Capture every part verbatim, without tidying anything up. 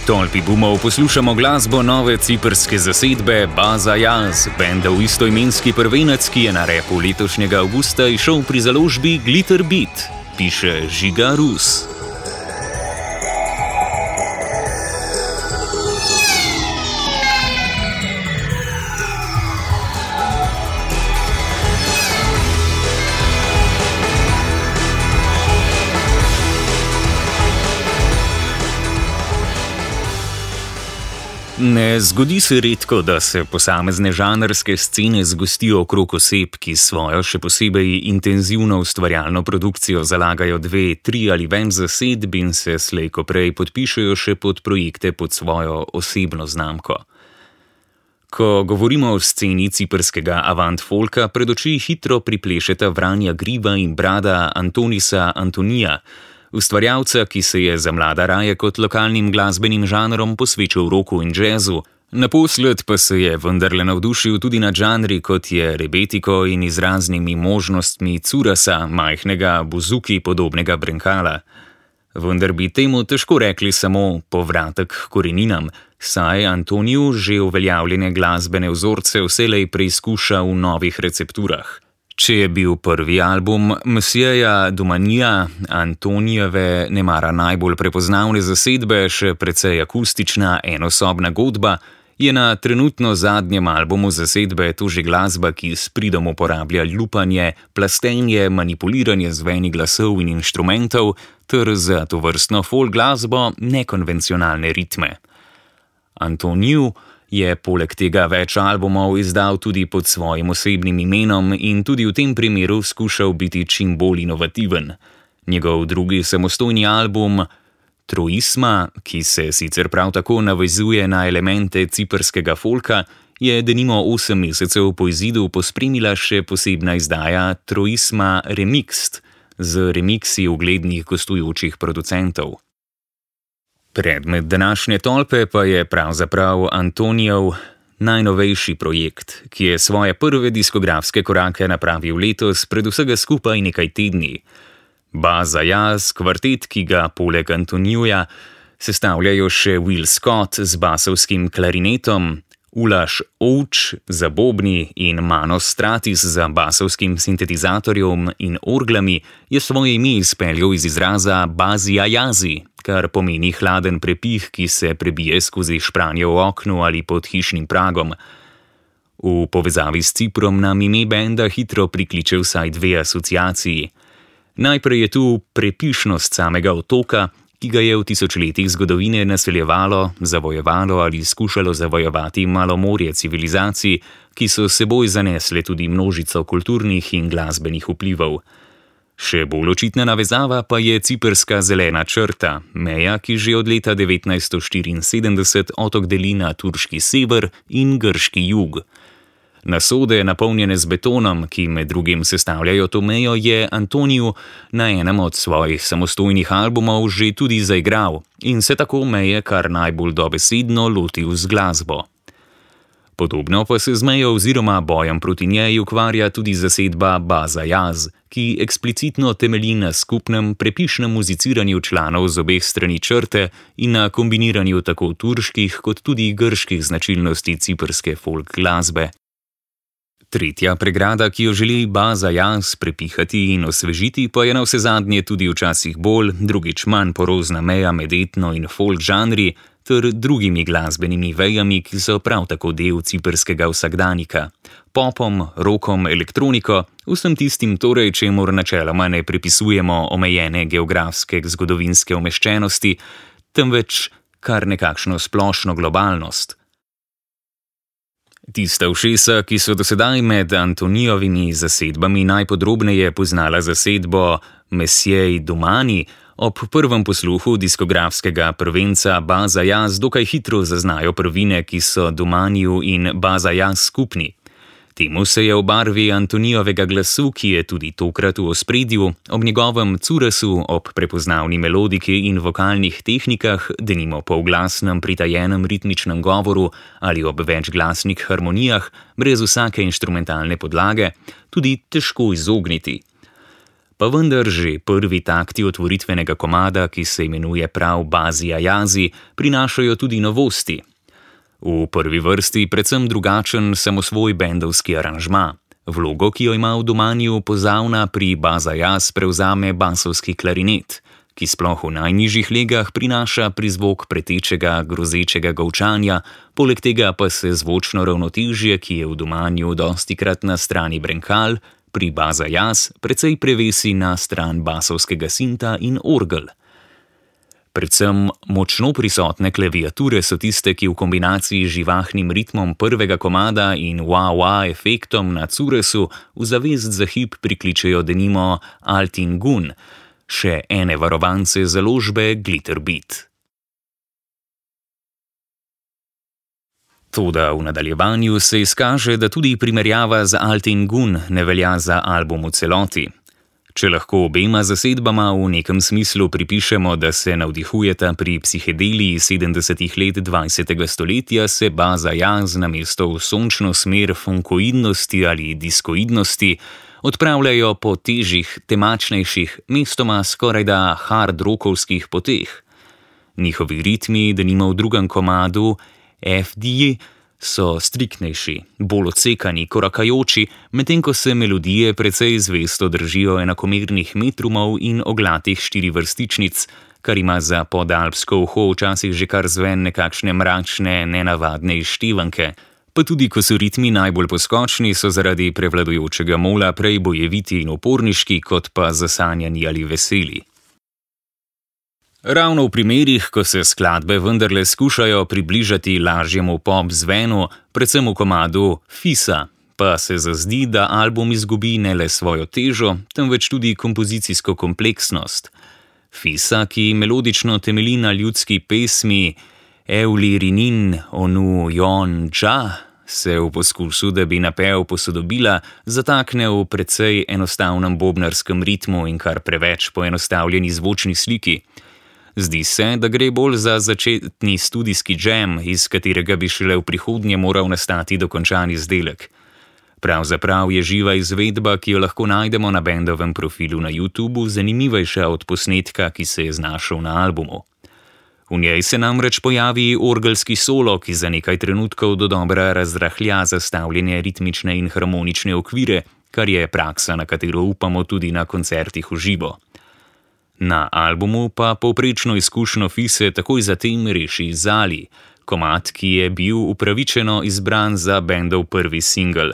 Tolpi bumov poslušamo glasbo nove ciprske zasedbe Baza Jaz, benda v istoimenski prvenec, ki je na repu letošnjega avgusta izšel pri založbi Glitter Beat, piše Žiga Rus. Ne zgodi se redko, da se posamezne žanrske scene zgostijo okrog oseb, ki svojo še posebej intenzivno ustvarjalno produkcijo zalagajo dve, tri ali več zasedb in se slej ko prej podpišejo še pod projekte pod svojo osebno znamko. Ko govorimo o sceni ciprskega avant folka, pred oči hitro priplešeta Vranja Griba in brada Antonisa Antonija, ustvarjalca, ki se je za mlada raje kot lokalnim glasbenim žanrom posvečal roku in džezu, naposled pa se je vendarle navdušil tudi nad žanri, kot je rebetiko in izraznimi možnostmi curasa, majhnega buzuki podobnega brenkala. Vendar bi temu težko rekli samo povratek k koreninam, saj Antoniju že uveljavljene glasbene vzorce vselej preizkuša v novih recepturah. Če je bil prvi album Msjeja Dumanija, Antonijeve nemara najbolj prepoznavne zasedbe, še precej akustična enosobna godba, je na trenutno zadnjem albumu zasedbe to že glasba, ki s pridom uporablja lupanje, plastenje, manipuliranje zveni glasov in inštrumentov ter za tovrstno folk glasbo nekonvencionalne ritme. Antoniju je poleg tega več albumov izdal tudi pod svojim osebnim imenom in tudi v tem primeru skušal biti čim bolj inovativen. Njegov drugi samostojni album Troisma, ki se sicer prav tako navezuje na elemente ciprskega folka, je denimo osem mesecev po izidu pospremila še posebna izdaja Troisma Remixed z remiksi uglednih gostujočih producentov. Predmet današnje tolpe pa je pravzaprav Antonijev najnovejši projekt, ki je svoje prve diskografske korake napravil letos pred vsega skupaj nekaj tedni. Baza Jaz, kvartet, ki ga poleg Antonijuja sestavljajo še Will Scott z basovskim klarinetom, Ulaš Ouč za bobni in Manos Stratis za basovskim sintetizatorjem in orglami, je svoje ime izpeljal iz izraza Bazija Jazi, kar pomeni hladen prepih, ki se prebije skozi špranje v oknu ali pod hišnim pragom. V povezavi s Ciprom nam ime benda hitro prikliče vsaj dve asociaciji. Najprej je tu prepišnost samega otoka, ki ga je v tisočletjih zgodovine naseljevalo, zavojevalo ali skušalo zavojevati malo morje civilizacij, ki so seboj zanesle tudi množico kulturnih in glasbenih vplivov. Še bolj očitna navezava pa je ciprska zelena črta, meja, ki že od leta devetnajststo štiriinsedemdeset otok deli na turški sever in grški jug. Nasode, napolnjene z betonom, ki med drugim sestavljajo to mejo, je Antoniju na enem od svojih samostojnih albumov že tudi zaigral in se tako meje kar najbolj dobesedno lotil z glasbo. Podobno pa se z mejo oziroma bojem proti njej ukvarja tudi zasedba Baza Jaz, ki eksplicitno temelji na skupnem prepišnem muziciranju članov z obeh strani črte in na kombiniranju tako turških kot tudi grških značilnosti ciprske folk glasbe. Tretja pregrada, ki jo želi Baza Jaz prepihati in osvežiti, pa je navsezadnje tudi včasih bolj, drugič manj porozna meja med etno in folk žanri ter drugimi glasbenimi vejami, ki so prav tako del ciprskega vsakdanika. Popom, rokom, elektroniko, vsem tistim torej, čemur načeloma ne pripisujemo omejene geografske zgodovinske umeščenosti, temveč kar nekakšno splošno globalnost. Tista ušesa, ki so dosedaj med Antonijovimi zasedbami najpodrobneje poznala zasedbo Msjej Dumani, ob prvem posluhu diskografskega prvenca Baza Jaz dokaj hitro zaznajo prvine, ki so Dumaniju in Baza Jaz skupni. Temu se je v barvi Antonijovega glasu, ki je tudi tokrat v ospredju, ob njegovem curasu, ob prepoznavni melodiki in vokalnih tehnikah, denimo polglasnem pritajenem ritmičnem govoru ali ob večglasnih harmonijah, brez vsake inštrumentalne podlage, tudi težko izogniti. Pa vendar že prvi takti otvoritvenega komada, ki se imenuje prav Bazi Ayazi, prinašajo tudi novosti. V prvi vrsti predvsem drugačen samosvoj bendovski aranžma. Vlogo, ki jo ima v domanju pozavna, pri Baz Ayaz prevzame basovski klarinet, ki sploh v najnižjih legah prinaša prizvok pretečega, grozečega golčanja, poleg tega pa se zvočno ravnotežje, ki je v domanju dostikrat na strani brenkal, pri Baz Ayaz precej prevesi na stran basovskega sinta in orgel. Predvsem močno prisotne klaviature so tiste, ki v kombinaciji z živahnim ritmom prvega komada in wah-wah efektom na curesu v zavest za hip prikličejo denimo Altin Gun, še ene varovance založbe Glitterbeat. Toda v nadaljevanju se izkaže, da tudi primerjava z Altin Gun ne velja za album v celoti. Če lahko obema zasedbama v nekem smislu pripišemo, da se navdihujeta pri psihedeliji sedemdesetih let dvajsetega stoletja, se Baz Ayaz namesto v sončno smer funkoidnosti ali diskoidnosti odpravljajo po težjih, temačnejših, mestoma skorajda hard rockovskih poteh. Njihovi ritmi, denimo v drugem komadu F D, so striktnejši, bolj odsekani, korakajoči, medtem ko se melodije precej zvesto držijo enakomernih metrumov in oglatih štirivrstičnic, kar ima za podalpsko uho včasih že kar zven nekakšne mračne, nenavadne izštevanke. Pa tudi ko so ritmi najbolj poskočni, so zaradi prevladujočega mola prej bojeviti in uporniški, kot pa zasanjani ali veseli. Ravno v primerih, ko se skladbe vendarle skušajo približati lažjemu pop zvenu, predvsem v komadu Fisa, pa se zazdi, da album izgubi ne le svojo težo, temveč tudi kompozicijsko kompleksnost. Fisa, ki melodično temelji na ljudski pesmi Euli Rinin Onu Jon Dža, se v poskusu, da bi napev posodobila, zatakne v precej enostavnem bobnarskem ritmu in kar preveč poenostavljeni zvočni sliki. Zdi se, da gre bolj za začetni studijski džem, iz katerega bi šele v prihodnje moral nastati dokončan izdelek. Pravzaprav je živa izvedba, ki jo lahko najdemo na bendovem profilu na YouTubu, zanimivejša od posnetka, ki se je znašel na albumu. V njej se namreč pojavi orgelski solo, ki za nekaj trenutkov dodobra razrahlja zastavljene ritmične in harmonične okvire, kar je praksa, na katero upamo tudi na koncertih v živo. Na albumu pa povprečno izkušnjo Fise takoj zatem reši Zali, komad, ki je bil upravičeno izbran za bendov prvi singel.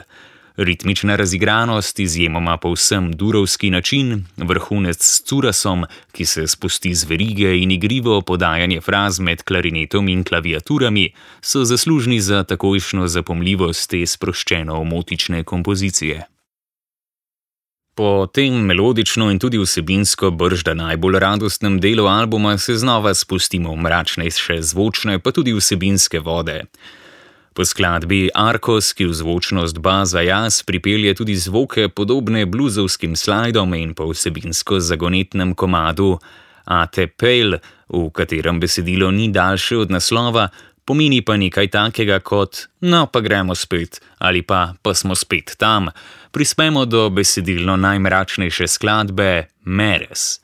Ritmična razigranost, izjemoma povsem durovski način, vrhunec s curasom, ki se spusti z verige in igrivo podajanje fraz med klarinetom in klaviaturami, so zaslužni za takojšnjo zapomljivost te sproščeno omotične kompozicije. Po tem melodično in tudi vsebinsko bržda najbolj radostnem delu albuma se znova spustimo v mračnejše zvočne, pa tudi vsebinske vode. Po skladbi Arcos, ki v zvočnost Baz Ayaz pripelje tudi zvoke podobne bluzovskim slajdom, in po vsebinsko zagonetnem komadu Ate Pale, v katerem besedilo ni daljše od naslova, pomeni pa nekaj takega kot no pa gremo spet ali pa pa smo spet tam, prispemo do besedilno najmračnejše skladbe Meres.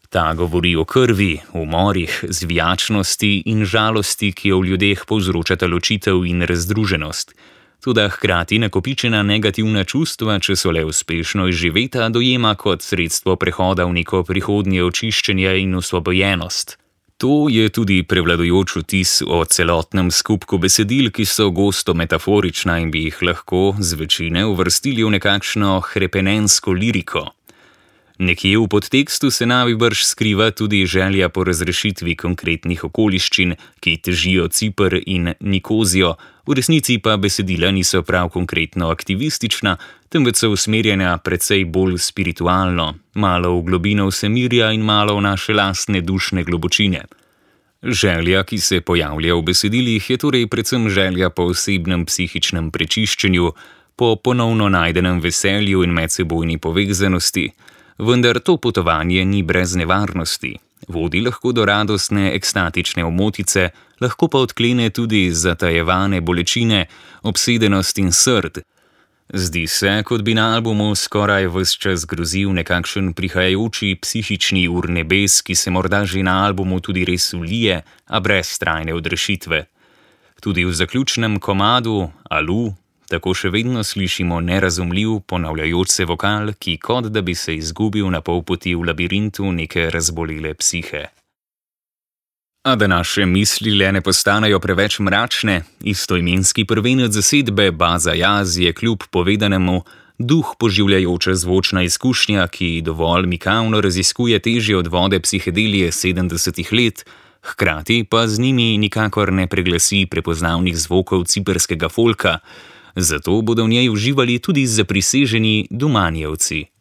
Ta govori o krvi, umorih, zvijačnosti in žalosti, ki jo v ljudeh povzročata ločitev in razdruženost. Toda hkrati nakopičena negativna čustva, če so le uspešno izživeta, dojema kot sredstvo prehoda v neko prihodnje očiščenje in osvobojenost. To je tudi prevladujoč vtis o celotnem skupku besedil, ki so gosto metaforična in bi jih lahko z večine uvrstili v nekakšno hrepenensko liriko. Nekje v podtekstu se najbrž skriva tudi želja po razrešitvi konkretnih okoliščin, ki težijo Ciper in Nikozijo, v resnici pa besedila niso prav konkretno aktivistična, temveč so usmerjena precej bolj spiritualno, malo v globino vsemirja in malo v naše lastne dušne globočine. Želja, ki se pojavlja v besedilih, je torej predvsem želja po osebnem psihičnem prečiščenju, po ponovno najdenem veselju in medsebojni povezanosti. Vendar to potovanje ni brez nevarnosti. Vodi lahko do radostne ekstatične omotice, lahko pa odklene tudi zatajevane bolečine, obsedenost in srd. Zdi se, kot bi na albumu skoraj ves čas grozil nekakšen prihajajoči psihični urnebes, ki se morda že na albumu tudi res vlije, a brez trajne odrešitve. Tudi v zaključnem komadu, Alu, tako še vedno slišimo nerazumljiv, ponavljajoč se vokal, ki kot da bi se izgubil na pol poti v labirintu neke razbolele psihe. A da naše misli le ne postanejo preveč mračne, istoimenski prvenec zasedbe Baza Jaz je kljub povedanemu duh poživljajoča zvočna izkušnja, ki dovolj mikavno raziskuje težje od vode psihedelije sedemdesetih let, hkrati pa z njimi nikakor ne preglasi prepoznavnih zvokov ciperskega folka, zato bodo v njej uživali tudi zapriseženi Dumanjevci.